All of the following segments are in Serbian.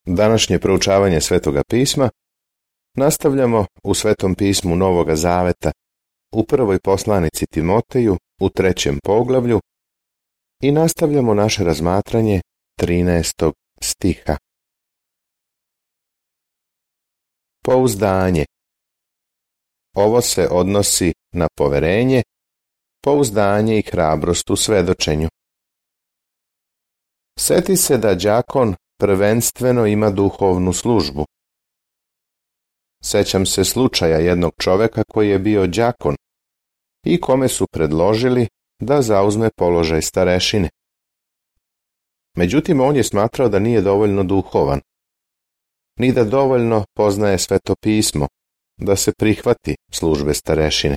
Današnje proučavanje Svetoga pisma nastavljamo u Svetom pismu Novoga Zaveta u prvoj poslanici Timoteju u 3. poglavlju i nastavljamo naše razmatranje 13. stiha. Pouzdanje. Ovo se odnosi na poverenje, pouzdanje i hrabrost u svedočenju. Seti se da đakon prvenstveno ima duhovnu službu. Sećam se slučaja jednog čoveka koji je bio đakon i kome su predložili da zauzme položaj starešine. Međutim, on je smatrao da nije dovoljno duhovan, ni da dovoljno poznaje Sveto pismo, da se prihvati službe starešine.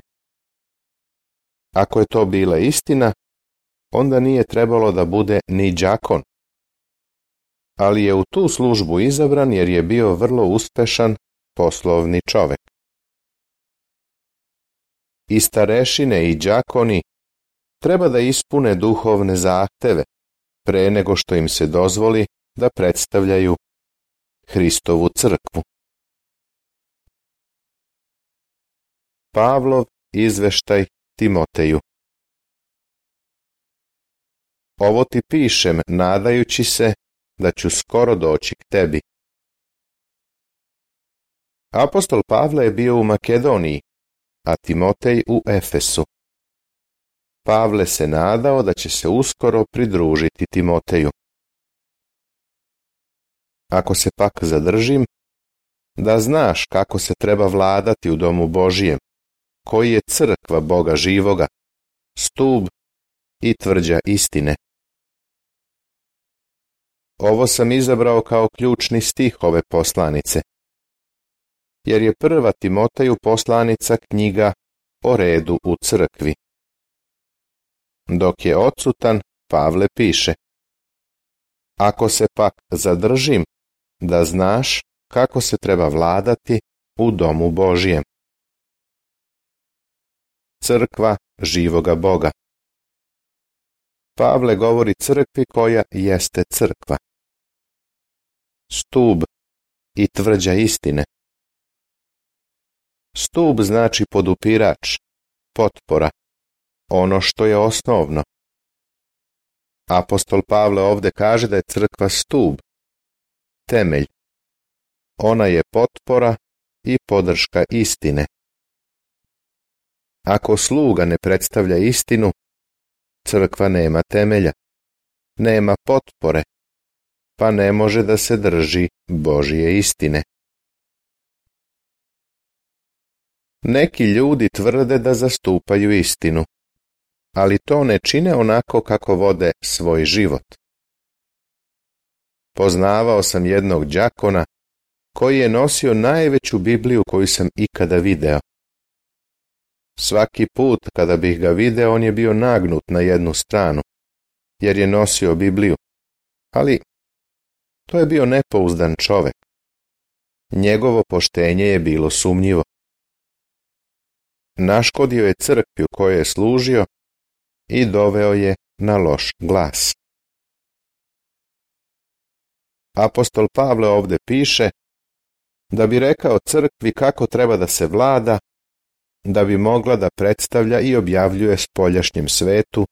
Ako je to bila istina, onda nije trebalo da bude ni đakon. Ali je u tu službu izabran jer je bio vrlo uspešan poslovni čovek. I starešine i đakoni treba da ispune duhovne zahteve pre nego što im se dozvoli da predstavljaju Hristovu crkvu. Pavlov izveštaj Timoteju. Ovo ti pišem nadajući se da ću skoro doći k tebi. Apostol Pavle je bio u Makedoniji, a Timotej u Efesu. Pavle se nadao da će se uskoro pridružiti Timoteju. Ako se pak zadržim, da znaš kako se treba vladati u domu Božijem, koji je crkva Boga živoga, stub i tvrđa istine. Ovo sam izabrao kao ključni stih ove poslanice, jer je prva Timoteju poslanica knjiga o redu u crkvi. Dok je odsutan, Pavle piše: Ako se pak zadržim, da znaš kako se treba vladati u domu Božijem. Crkva živoga Boga. Pavle govori crkvi koja jeste crkva. Stub i tvrđa istine. Stub znači podupirač, potpora, ono što je osnovno. Apostol Pavle ovde kaže da je crkva stub, temelj. Ona je potpora i podrška istine. Ako sluga ne predstavlja istinu, crkva nema temelja, nema potpore, pa ne može da se drži Božije istine. Neki ljudi tvrde da zastupaju istinu, ali to ne čine onako kako vode svoj život. Poznavao sam jednog đakona koji je nosio najveću Bibliju koju sam ikada video. Svaki put kada bih ga video, on je bio nagnut na jednu stranu, jer je nosio Bibliju, ali to je bio nepouzdan čovek. Njegovo poštenje je bilo sumnjivo. Naškodio je crkvi u kojoj je služio i doveo je na loš glas. Apostol Pavle ovde piše da bi rekao crkvi kako treba da se vlada, da bi mogla da predstavlja i objavljuje spoljašnjem svetu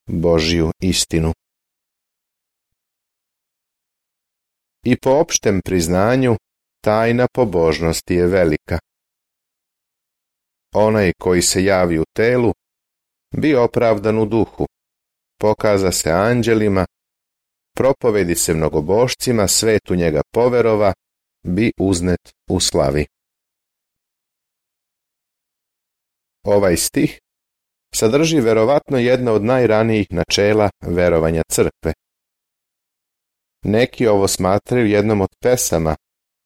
Božju istinu. I po opštem priznanju, tajna pobožnosti je velika. Onaj koji se javi u telu, bi opravdan u duhu, pokaza se anđelima, propovedi se mnogobošcima, svet u njega poverova, bi uznet u slavi. Ovaj stih sadrži verovatno jedno od najranijih načela verovanja crkve. Neki ovo smatraju jednom od pesama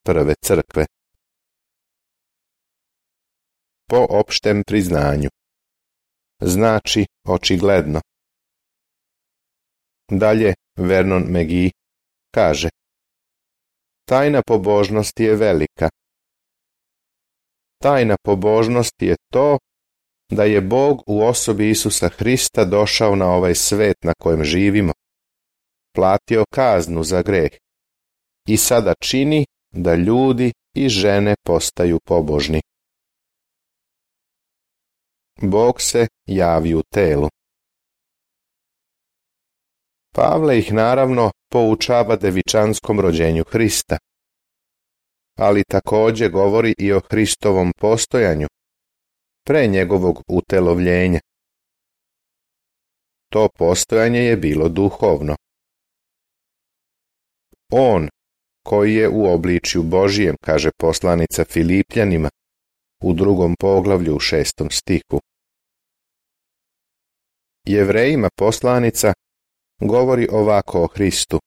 prve crkve. Po opštem priznanju. Znači očigledno. Dalje Vernon McGee kaže: Tajna pobožnosti je velika. Tajna pobožnosti je to da je Bog u osobi Isusa Hrista došao na ovaj svet na kojem živimo, platio kaznu za greh i sada čini da ljudi i žene postaju pobožni. Bog se javi u telu. Pavle ih naravno poučava devičanskom rođenju Hrista, ali također govori i o Hristovom postojanju pre njegovog utelovljenja. To postojanje je bilo duhovno. On, koji je u obličju Božijem, kaže poslanica Filipljanima u 2. poglavlju u 6. stihu. Jevrejima poslanica govori ovako o Hristu.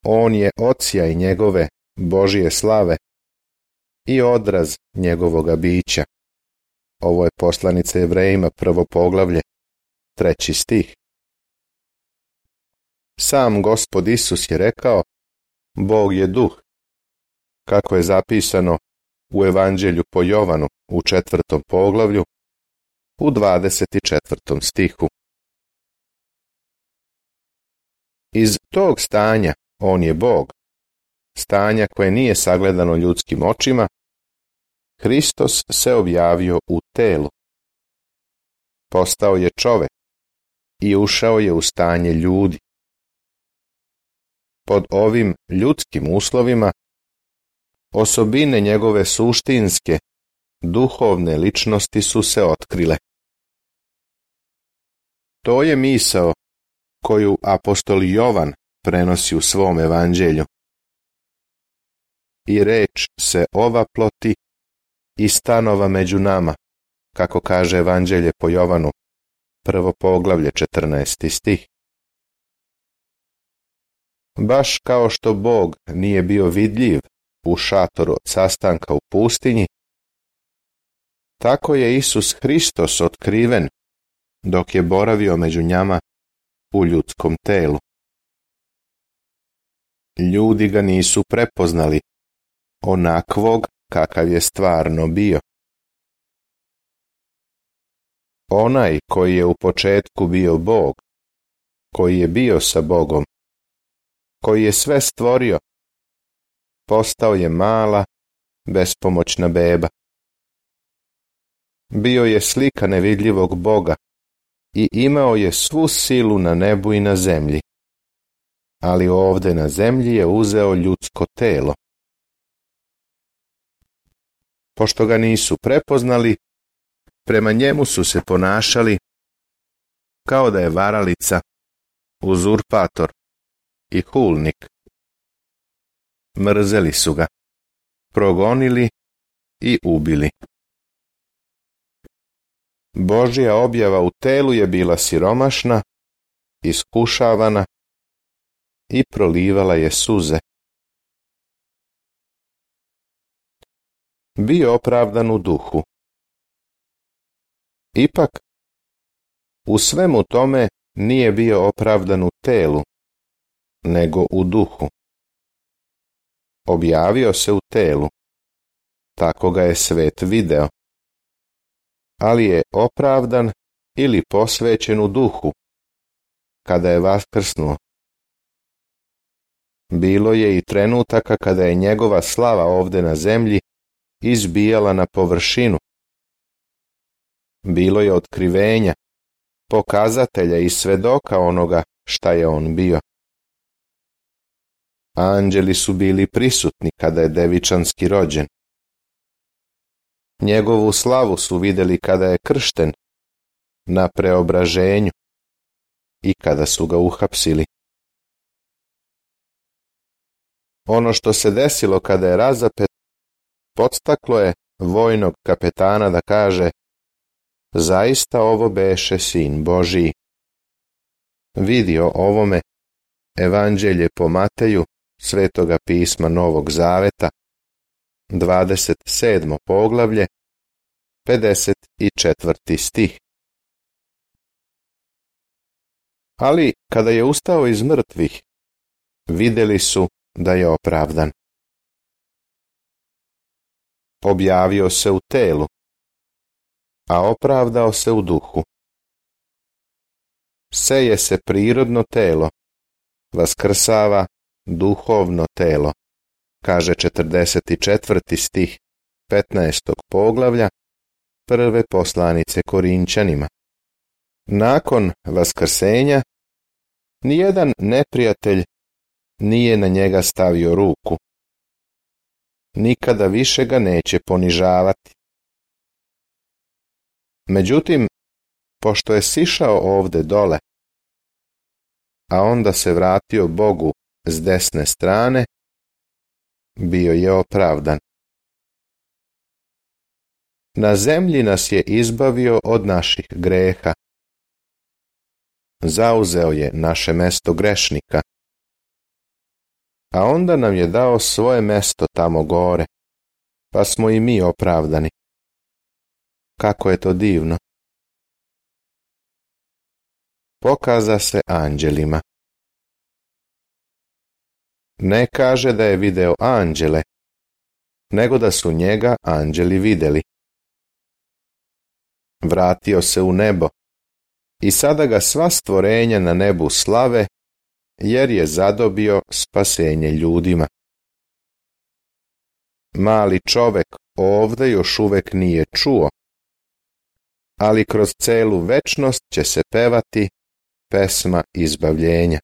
On je odsjaj njegove Božije slave i odraz njegovoga bića. Ovo je poslanica Jevrejima 1. poglavlje, 3. stih. Sam Gospod Isus je rekao, Bog je duh, kako je zapisano u Evanđelju po Jovanu u 4. poglavlju u 24. stihu. Iz tog stanja on je Bog, stanja koje nije sagledano ljudskim očima, Hristos se objavio u telu. Postao je čovek i ušao je u stanje ljudi. Pod ovim ljudskim uslovima osobine njegove suštinske, duhovne ličnosti su se otkrile. To je misao koju apostol Jovan prenosi u svom evanđelju. I reč se ova ploti i stanova među nama, kako kaže evanđelje po Jovanu, 1. poglavlje 14. stih. Baš kao što Bog nije bio vidljiv u šatoru od sastanka u pustinji, tako je Isus Hristos otkriven dok je boravio među njama u ljudskom telu. Ljudi ga nisu prepoznali onakvog kakav je stvarno bio. Onaj koji je u početku bio Bog, koji je bio sa Bogom, koji je sve stvorio, postao je mala, bespomoćna beba. Bio je slika nevidljivog Boga i imao je svu silu na nebu i na zemlji, ali ovde na zemlji je uzeo ljudsko telo. Pošto ga nisu prepoznali, prema njemu su se ponašali kao da je varalica, uzurpator i hulnik. Mrzeli su ga, progonili i ubili. Božja objava u telu je bila siromašna, iskušavana i prolivala je suze. Bio opravdan u duhu. Ipak, u svemu tome nije bio opravdan u telu, nego u duhu. Objavio se u telu, tako ga je svet video, ali je opravdan ili posvećen u duhu, kada je vaskrsnuo. Bilo je i trenutaka kada je njegova slava ovde na zemlji izbijala na površinu. Bilo je otkrivenja, pokazatelja i svedoka onoga šta je on bio. Anđeli su bili prisutni kada je devičanski rođen. Njegovu slavu su vidjeli kada je kršten na preobraženju i kada su ga uhapsili. Ono što se desilo kada je razapet podstaklo je vojnog kapetana da kaže: zaista ovo beše sin Božiji. Vidi o ovome Evanđelje po Mateju, Svetoga pisma Novog Zaveta, 27. poglavlje, 54. stih. Ali kada je ustao iz mrtvih, vidjeli su da je opravdan. Objavio se u telu, a opravdao se u duhu. Seje se prirodno telo, vaskrsava duhovno telo, kaže 44. stih 15. poglavlja prve poslanice Korinćanima. Nakon vaskrsenja nijedan neprijatelj nije na njega stavio ruku. Nikada više ga neće ponižavati. Međutim, pošto je sišao ovde dole, a onda se vratio Bogu s desne strane, bio je opravdan. Na zemlji nas je izbavio od naših greha. Zauzeo je naše mesto grešnika, a onda nam je dao svoje mesto tamo gore, pa smo i mi opravdani. Kako je to divno! Pokaza se anđelima. Ne kaže da je video anđele, nego da su njega anđeli vidjeli. Vratio se u nebo i sada ga sva stvorenja na nebu slave, jer je zadobio spasenje ljudima. Mali čovek ovde još uvek nije čuo, ali kroz celu večnost će se pevati pesma izbavljenja.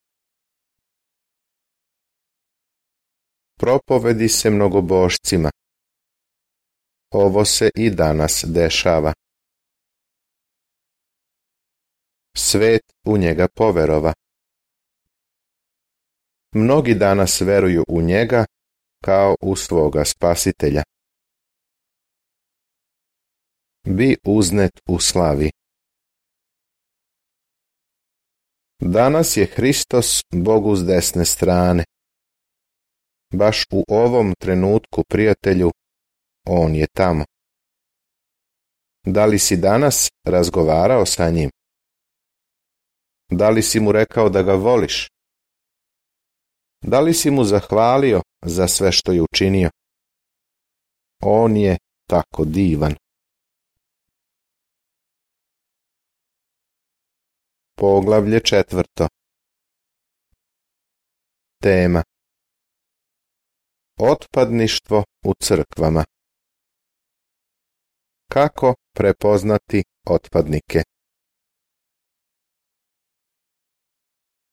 Propovedi se mnogobošcima. Ovo se i danas dešava. Svet u njega poverova. Mnogi danas veruju u njega kao u svoga spasitelja. Bi uznet u slavi. Danas je Hristos Bogu s desne strane. Baš u ovom trenutku, prijatelju, on je tamo. Da li si danas razgovarao sa njim? Da li si mu rekao da ga voliš? Da li si mu zahvalio za sve što je učinio? On je tako divan. Poglavlje 4. Tema: otpadništvo u crkvama. Kako prepoznati otpadnike?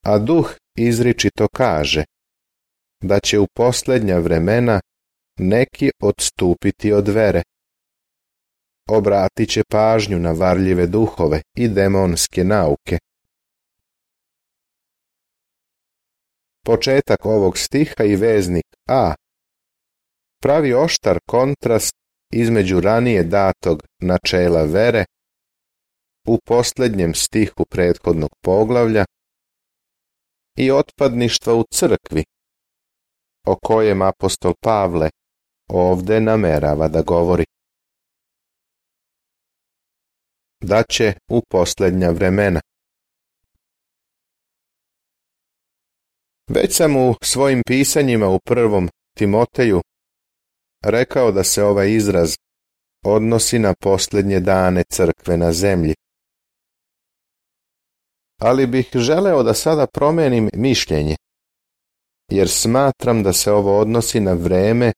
A Duh izričito kaže da će u posljednja vremena neki odstupiti od vere. Obratit će pažnju na varljive duhove i demonske nauke. Početak ovog stiha i veznik A pravi oštar kontrast između ranije datog načela vere u posljednjem stihu prethodnog poglavlja i otpadništva u crkvi, o kojem apostol Pavle ovde namerava da govori. Da će u posljednja vremena. Već sam u svojim pisanjima u 1. Timoteju rekao da se ovaj izraz odnosi na posljednje dane crkve na zemlji. Ali bih želeo da sada promenim mišljenje, jer smatram da se ovo odnosi na vreme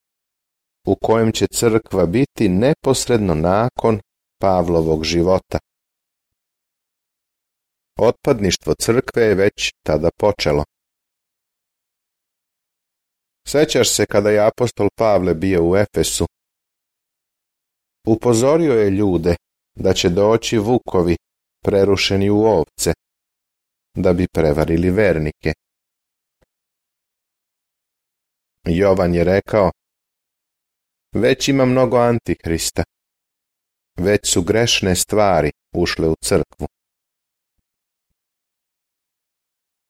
u kojem će crkva biti neposredno nakon Pavlovog života. Otpadništvo crkve je već tada počelo. Sećaš se kada je apostol Pavle bio u Efesu? Upozorio je ljude da će doći vukovi prerušeni u ovce, da bi prevarili vernike. Jovan je rekao: već ima mnogo antihrista, već su grešne stvari ušle u crkvu.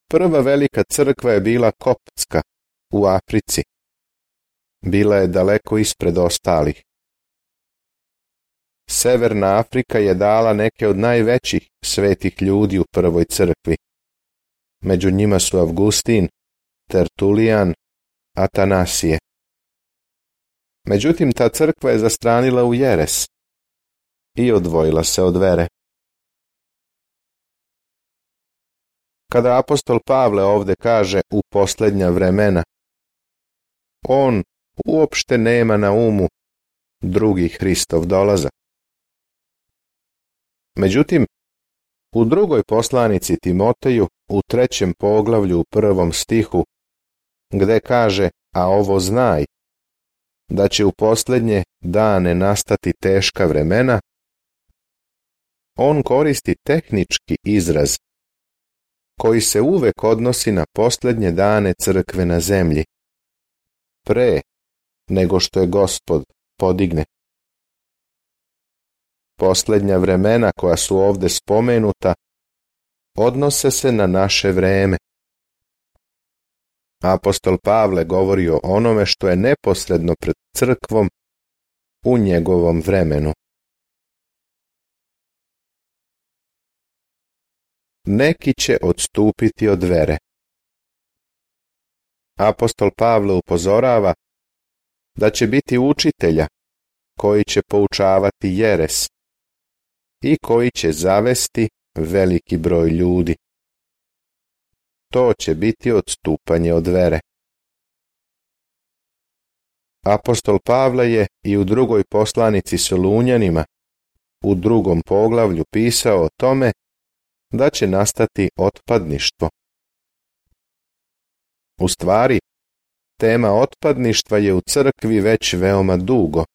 Prva velika crkva je bila koptska u Africi. Bila je daleko ispred ostalih. Severna Afrika je dala neke od najvećih svetih ljudi u prvoj crkvi. Među njima su Avgustin, Tertulijan, Atanasije. Međutim, ta crkva je zastranila u jeres i odvojila se od vere. Kada apostol Pavle ovdje kaže u posljednja vremena, on uopšte nema na umu drugi Hristov dolazak. Međutim, u drugoj poslanici Timoteju, u 3. poglavlju u 1. stihu, gde kaže, a ovo znaj, da će u posljednje dane nastati teška vremena, on koristi tehnički izraz koji se uvek odnosi na posljednje dane crkve na zemlji, pre nego što je Gospod podigne. Posljednja vremena koja su ovdje spomenuta odnose se na naše vreme. Apostol Pavle govori o onome što je neposredno pred crkvom u njegovom vremenu. Neki će odstupiti od vere. Apostol Pavle upozorava da će biti učitelja koji će poučavati jeres i koji će zavesti veliki broj ljudi. To će biti odstupanje od vere. Apostol Pavle je i u drugoj poslanici Solunjanima, u 2. poglavlju pisao o tome da će nastati otpadništvo. U stvari, tema otpadništva je u crkvi već veoma dugo,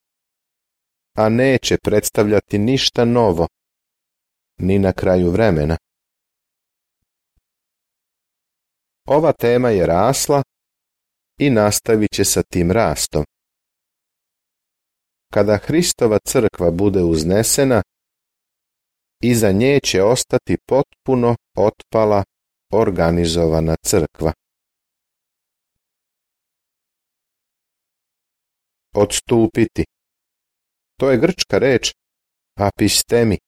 a neće predstavljati ništa novo, ni na kraju vremena. Ova tema je rasla i nastavit će sa tim rastom. Kada Hristova crkva bude uznesena, iza nje će ostati potpuno otpala, organizovana crkva. Odstupiti. To je grčka reč apistemi,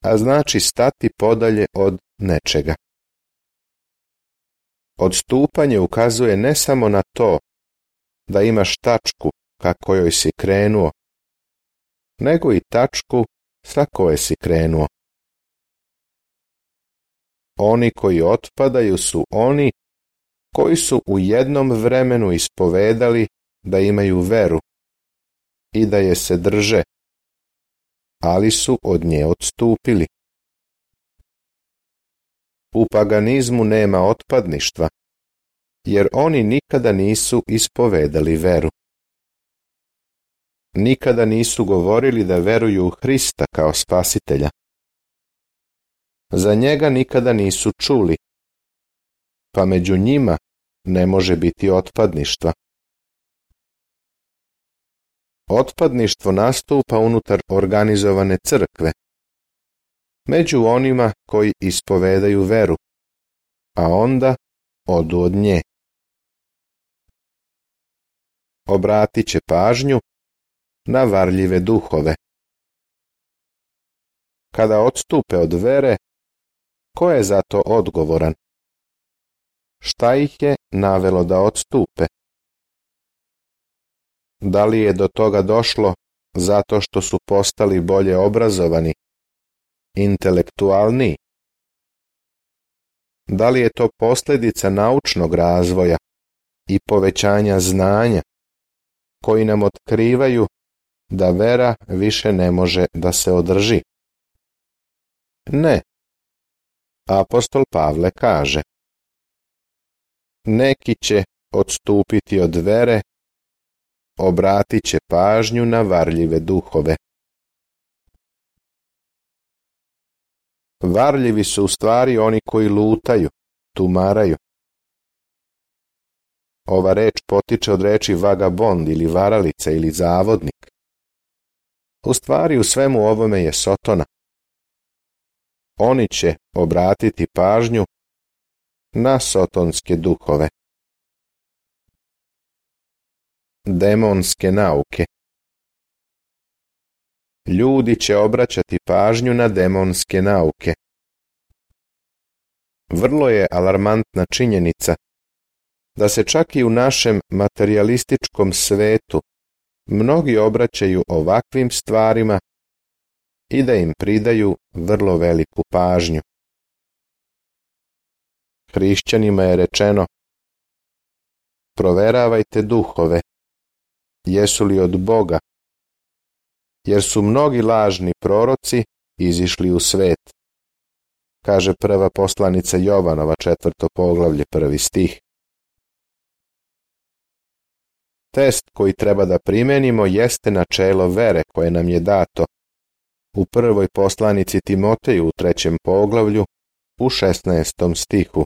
a znači stati podalje od nečega. Odstupanje ukazuje ne samo na to da imaš tačku ka kojoj si krenuo, nego i tačku sa koje si krenuo. Oni koji otpadaju su oni koji su u jednom vremenu ispovedali da imaju veru i da je se drže, ali su od nje odstupili. U paganizmu nema otpadništva, jer oni nikada nisu ispovedali veru. Nikada nisu govorili da veruju u Hrista kao spasitelja. Za njega nikada nisu čuli, pa među njima ne može biti otpadništva. Otpadništvo nastupa unutar organizovane crkve, među onima koji ispovedaju veru, a onda odu od nje. Obratit će pažnju na varljive duhove. Kada odstupe od vere, ko je za to odgovoran? Šta ih je navelo da odstupe? Da li je do toga došlo zato što su postali bolje obrazovani, intelektualniji? Da li je to posljedica naučnog razvoja i povećanja znanja koji nam otkrivaju da vera više ne može da se održi? Ne. Apostol Pavle kaže: neki će odstupiti od vere, obratit će pažnju na varljive duhove. Varljivi su u stvari oni koji lutaju, tumaraju. Ova reč potiče od reči vagabond ili varalica ili zavodnik. U stvari u svemu ovome je sotona. Oni će obratiti pažnju na sotonske duhove. Demonske nauke. Ljudi će obraćati pažnju na demonske nauke. Vrlo je alarmantna činjenica da se čak i u našem materijalističkom svetu mnogi obraćaju ovakvim stvarima i da im pridaju vrlo veliku pažnju. hrišćanima je rečeno: proveravajte duhove, jesu li od Boga, jer su mnogi lažni proroci izišli u svet, kaže prva poslanica Jovanova, 4. poglavlje, 1. stih. Test koji treba da primenimo jeste načelo vere koje nam je dato u prvoj poslanici Timoteju u 3. poglavlju u 16. stihu.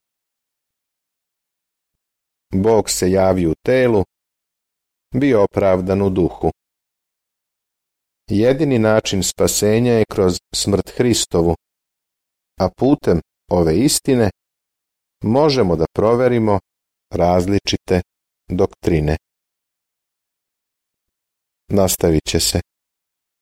Bog se javi u telu, bio opravdan u duhu. Jedini način spasenja je kroz smrt Hristovu, a putem ove istine možemo da proverimo različite doktrine. Nastavit će se.